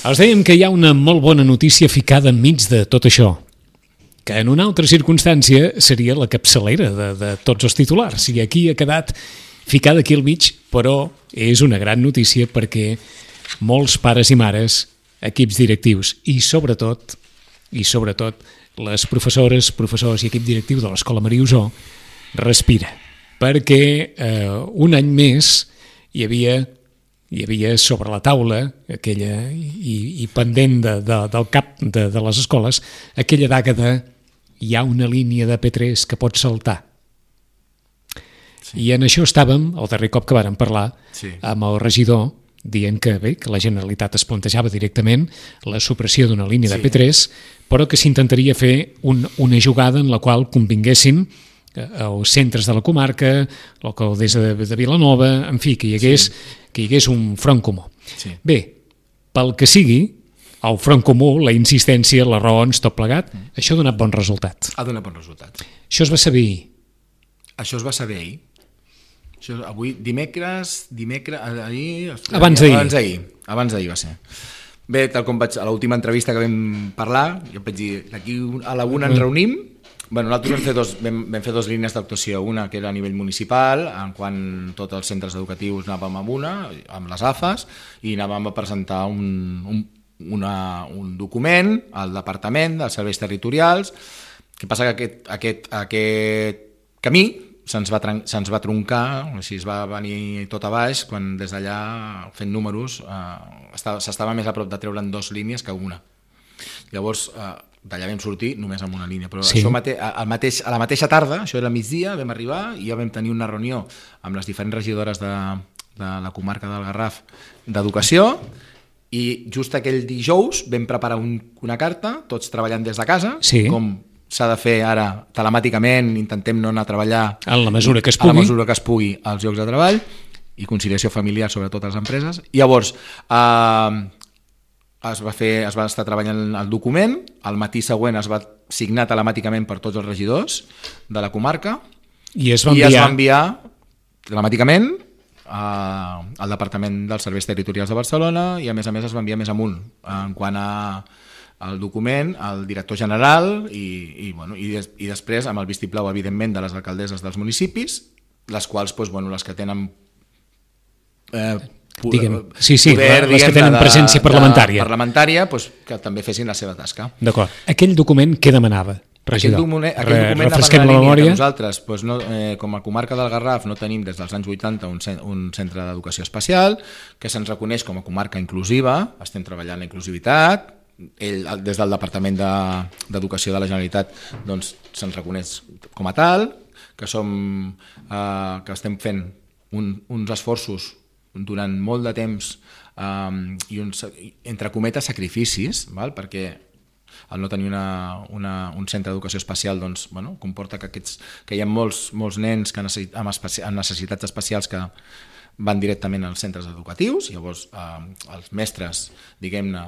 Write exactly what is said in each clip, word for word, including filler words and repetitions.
Els dèiem que hi ha una molt bona notícia ficada enmig de tot això, que en una altra circumstància seria la capçalera de, de tots els titulars. I aquí ha quedat ficada aquí al mig, però és una gran notícia perquè molts pares i mares, equips directius i sobretot, i sobretot les professores, professors i equip directiu de l'Escola Maria Usó respira, perquè eh, un any més hi havia hi havia sobre la taula aquella i, i pendent de, de, del cap de, de les escoles aquella daga de hi ha una línia de P tres que pot saltar. Sí. I en això estàvem, el darrer cop que vàrem parlar, sí, amb el regidor, dient que bé, que la Generalitat es plantejava directament la supressió d'una línia sí. de P tres, però que s'intentaria fer un, una jugada en la qual convinguessin els centres de la comarca, l'alcaldessa de, de Vilanova, en fi, que hi hagués, sí. que hi hagués un front comú. Sí. Bé, pel que sigui, el front comú, la insistència, les raons, tot plegat, mm. això ha donat bon resultat. Ha donat bon resultat. Això es va saber ahir. Això es va saber ahir. Això, avui, dimecres, dimecres, ahir... Abans d'ahir. Abans d'ahir, abans d'ahir va ser. Bé, tal com vaig, a l'última entrevista que vam parlar, jo vaig dir, d'aquí a la una ens reunim. Bueno, nosaltres vam fer, dos, vam, vam fer dos línies d'actuació, una que era a nivell municipal, en quan tots els centres educatius anàvem amb una, amb les A F As, i anàvem a presentar un, un, una, un document al Departament dels Serveis Territorials. Que passa que aquest, aquest, aquest camí se'ns va, se'ns va troncar, així es va venir tot a baix, quan des d'allà, fent números, eh, s'estava més a prop de treure'n dues línies que una. Llavors, eh, d'allà vam sortir només amb una línia, però sí. això mate, al mateix, a la mateixa tarda, això era migdia, vam arribar i ja vam tenir una reunió amb les diferents regidores de, de la comarca del Garraf d'Educació, i just aquell dijous vam preparar un, una carta, tots treballant des de casa, sí. com s'ha de fer ara telemàticament, intentem no anar a treballar en la mesura que es pugui, a la mesura que es pugui als llocs de treball, i conciliació familiar sobretot a les empreses. I llavors eh, es va fer, es va estar treballant el document, al matí següent es va signar telemàticament per tots els regidors de la comarca i es va enviar, i es va enviar telemàticament a, al Departament dels Serveis Territorials de Barcelona, i a més a més es va enviar més amunt en quant a el document, al director general i, i, bueno, i, des, i després amb el vistiplau evidentment de les alcaldesses dels municipis, les quals doncs, bueno, les que tenen eh, Diguem, sí, sí, poder, les que tenen de, presència parlamentària, parlamentària doncs, que també fessin la seva tasca. D'acord. Aquell document què demanava, regidor? Aquell document, aquell document refresquem la, la memòria. Que nosaltres, doncs, no, eh, com a comarca del Garraf, no tenim des dels anys vuitanta un, un centre d'educació especial, que se'ns reconeix com a comarca inclusiva, estem treballant la inclusivitat, ell, des del Departament d'Educació de, de la Generalitat doncs, se'ns reconeix com a tal, que, som, eh, que estem fent un, uns esforços durant molt de temps um, i uns, entre cometes, sacrificis, val? Perquè el no tenir una, una, un centre d'educació especial doncs, bueno, comporta que, aquests, que hi ha molts, molts nens que necessit, amb, especi, amb necessitats especials que van directament als centres educatius, llavors eh, els mestres, diguem-ne,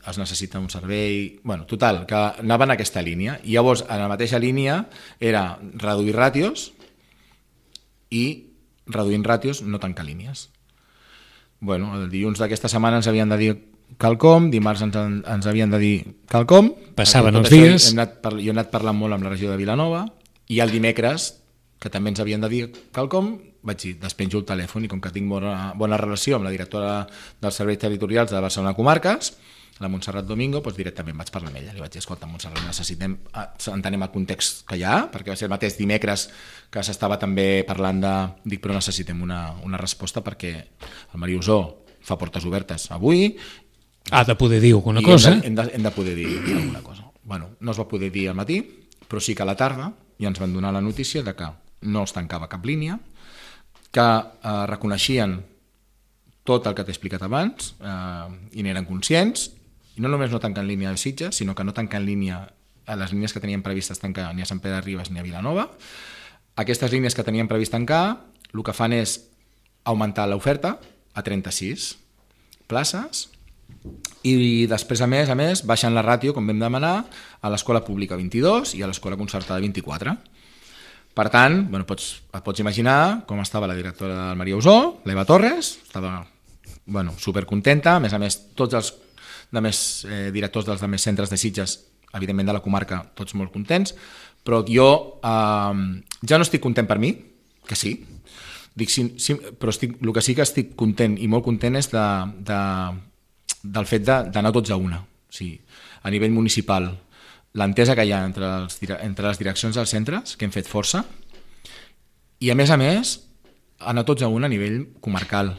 es necessita un servei... Bueno, total, que anaven en aquesta línia. I llavors, en la mateixa línia, era reduir ràtios i reduint ràtios no tancar línies. Bueno, el dilluns d'aquesta setmana ens havien de dir quelcom, dimarts ens, ens havien de dir quelcom. Passaven els dies. Hem anat, jo he anat parlant molt amb la regió de Vilanova, i el dimecres, que també ens havien de dir quelcom, vaig dir, despenjo el telèfon, i com que tinc bona, bona relació amb la directora dels Serveis Territorials de Barcelona Comarques, la Montserrat Domingo, doncs directament vaig parlar amb ella. Li vaig dir, escolta, Montserrat, necessitem, entenem el context que hi ha, perquè va ser el mateix dimecres que s'estava també parlant de... Dic, però necessitem una, una resposta perquè el Maria Usó fa portes obertes avui. Ha de poder dir alguna cosa. Hem de, hem, de, hem de poder dir alguna cosa. Bueno, no es va poder dir al matí, però sí que a la tarda ja ens van donar la notícia de que no es tancava cap línia, que eh, reconeixien tot el que t'he explicat abans eh, i n'eren conscients. I no només no tanquen línia de Sitges, sinó que no tanquen línia a les línies que tenien previstes tancar ni a Sant Pere de Ribes ni a Vilanova. Aquestes línies que tenien previst tancar, el que fan és augmentar l'oferta a trenta-sis places, i després, a més a més, baixen la ràtio, com vam demanar, a l'escola pública vint-i-dos i a l'escola concertada vint-i-quatre. Per tant, bueno, pots, et pots imaginar com estava la directora del Maria Usó, l'Eva Torres, estava bueno, supercontenta, a més a més, tots els de més eh, directors dels de més centres de Sitges, evidentment de la comarca, tots molt contents, però jo eh, ja no estic content per mi, que sí, dic, sí, sí però estic, el que sí que estic content i molt content és de, de, del fet d'anar tots a una. O sigui, a nivell municipal, l'entesa que hi ha entre, els, entre les direccions dels centres, que hem fet força, i a més a més, anar tots a una a nivell comarcal,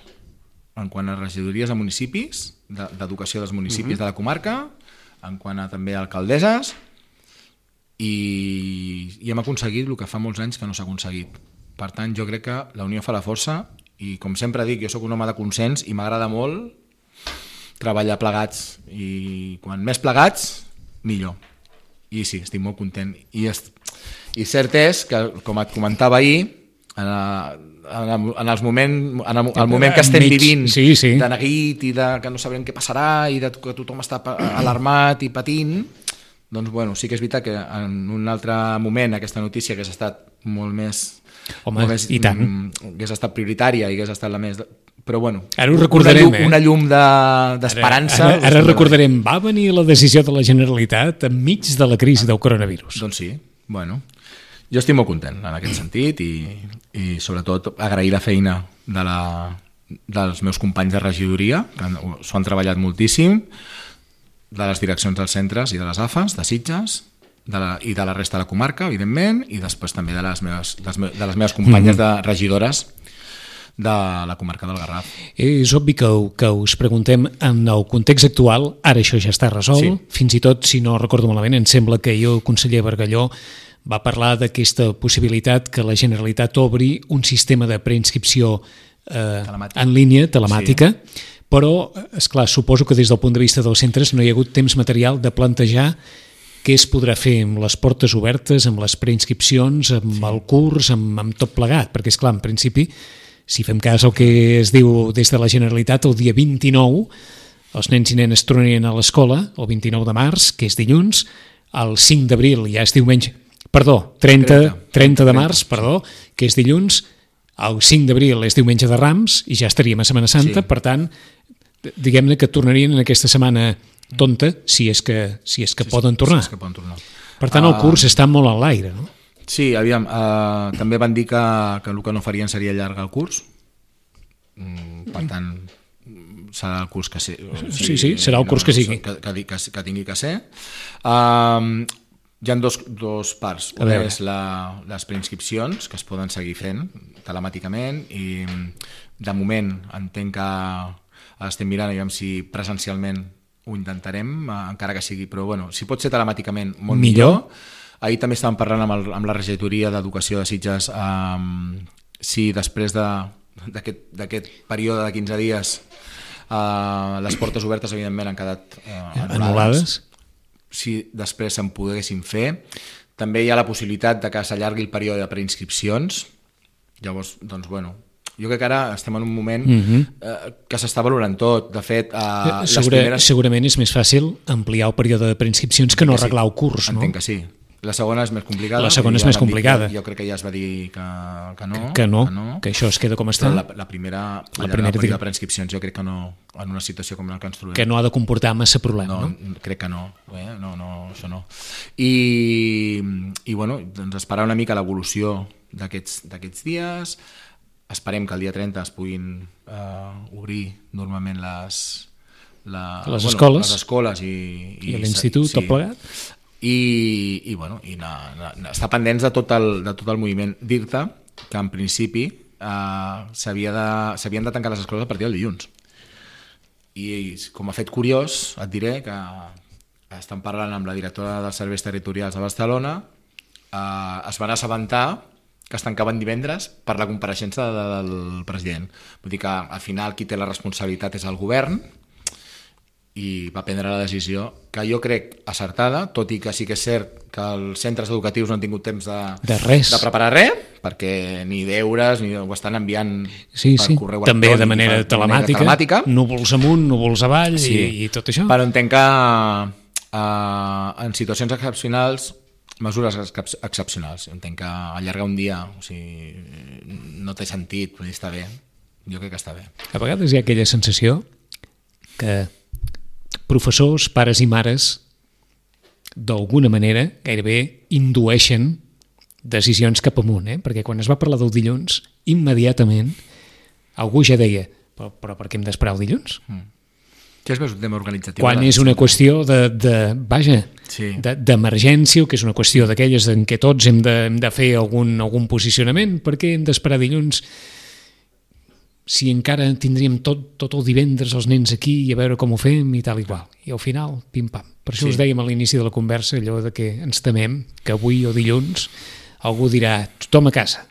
en quant a regidories de municipis, d'educació dels municipis mm-hmm. de la comarca, en quant a també alcaldesses, i, i hem aconseguit el que fa molts anys que no s'ha aconseguit. Per tant, jo crec que la unió fa la força, i com sempre dic, jo sóc un home de consens i m'agrada molt treballar plegats, i quan més plegats, millor. I sí, estic molt content. I, est... I cert és que, com et comentava ahir, en, a, en, en els moments, en el, el moment que estem vivint, sí, sí. de neguit i de que no sabem què passarà i de que tothom està alarmat i patint, doncs bueno, sí que és veritat que en un altre moment aquesta notícia hagués estat molt més... Home, molt més, i tant. Hagués estat prioritària i hagués estat la més... Però bueno, ara ho recordarem, una llum, eh? una llum d'esperança... De, ara, ara, ara recordarem, va venir la decisió de la Generalitat enmig de la crisi del coronavirus. Doncs sí, bueno... Jo estic molt content en aquest sentit i, i sobretot agrair la feina de la, dels meus companys de regidoria, que s'ho han treballat moltíssim, de les direccions dels centres i de les A F As, de Sitges, de la, i de la resta de la comarca, evidentment, i després també de les meves, de les, de les meves companyes de regidores de la comarca del Garraf. És obvi que, que us preguntem en el context actual, ara això ja està resolt, sí. Fins i tot, si no recordo malament, em sembla que jo, el conseller Bargalló, va parlar d'aquesta possibilitat que la Generalitat obri un sistema de preinscripció eh, en línia, telemàtica, sí. Però, esclar, suposo que des del punt de vista dels centres no hi ha hagut temps material de plantejar què es podrà fer amb les portes obertes, amb les preinscripcions, amb sí. El curs, amb, amb tot plegat, perquè, esclar, en principi, si fem cas al que es diu des de la Generalitat, el dia vint-i-nou els nens i nenes tornarien a l'escola, el vint-i-nou de març, que és dilluns, el cinc d'abril ja és diumenge, Perdó, trenta, trenta de març, perdó, que és dilluns, el cinc d'abril és diumenge de Rams i ja estaríem a Setmana Santa, sí. Per tant, diguem-ne que tornarien en aquesta setmana tonta, si és que, si és que, sí, poden, tornar. Si és que poden tornar. Per tant, el curs uh, està molt en l'aire, no? Sí, aviam, uh, també van dir que, que el que no farien seria allargar el curs, mm, per tant, serà el curs que sigui. O sigui, sí, sí, serà el curs no, que sigui. Que, que, que, que tingui que ser. Uh, Hi ha dos, dos parts. Una és la, les preinscripcions, que es poden seguir fent telemàticament, i de moment entenc que estem mirant aviam si presencialment ho intentarem, encara que sigui, però bueno, si pot ser telemàticament, molt millor. millor. Ahir també estàvem parlant amb, el, amb la regidoria d'Educació de Sitges um, si després d'aquest de, període de quinze dies uh, les portes obertes evidentment han quedat uh, anul·lades. anul·lades. Si després se'n poguessin fer. També hi ha la possibilitat de que s'allargui el període de preinscripcions. Llavors, doncs, bueno, jo crec que ara estem en un moment uh-huh. eh, que s'està valorant tot. De fet, eh, Segura, les primeres... segurament és més fàcil ampliar el període de preinscripcions que no sí. arreglar el curs, no? Entenc que sí. La segona és més complicada. La segona és més complicada. Que, jo crec que ja es va dir que, que no. Que no, que, no. que això es queda com està. Però la, la primera, la primera període de preinscripcions jo crec que no, en una situació com la que ens trobem. Que no ha de comportar massa problema, no? no? Crec que no. Eh? No, no, això no. I, i bueno, doncs esperar una mica l'evolució d'aquests dies. Esperem que el dia trenta es puguin uh, obrir normalment les, la, les, bueno, escoles. les escoles i, i, i l'institut, sí. Tot plegat. I, i, bueno, i na, na, na, estar pendents de tot el, de tot el moviment. Dir-te que en principi eh, s'havien de, de tancar les escoles a partir del dilluns. I com a fet curiós et diré que estan parlant amb la directora dels serveis territorials de Barcelona, eh, es van assabentar que es tancaven divendres per la compareixença de, del president. Vull dir que al final qui té la responsabilitat és el govern, i va prendre la decisió que jo crec acertada, tot i que sí que és cert que els centres educatius no han tingut temps de, de, res. de preparar res, perquè ni deures ni ho estan enviant sí, per sí. correu també de manera, per, telemàtica, manera telemàtica, núvols amunt, núvols avall, sí. i, i tot això. Però entenc que uh, en situacions excepcionals, mesures ex excepcionals, entenc que allargar un dia, o sigui, no té sentit, però està bé, jo crec que està bé. A vegades hi ha aquella sensació que professors, pares i mares, d'alguna manera, gairebé indueixen decisions cap amunt, eh? Perquè quan es va parlar del dilluns, immediatament algú ja deia, però, però per què hem d'esperar el dilluns? Mm. Que és més un tema organitzatiu. Quan és una qüestió de, de vaja, sí. d'emergència, o que és una qüestió d'aquelles en què tots hem de, hem de fer algun, algun posicionament, per què hem d'esperar dilluns si encara tindríem tot, tot el divendres els nens aquí i a veure com ho fem i tal i qual. I al final, pim-pam. Per això sí. us dèiem a l'inici de la conversa allò de que ens temem que avui o dilluns algú dirà tothom a casa.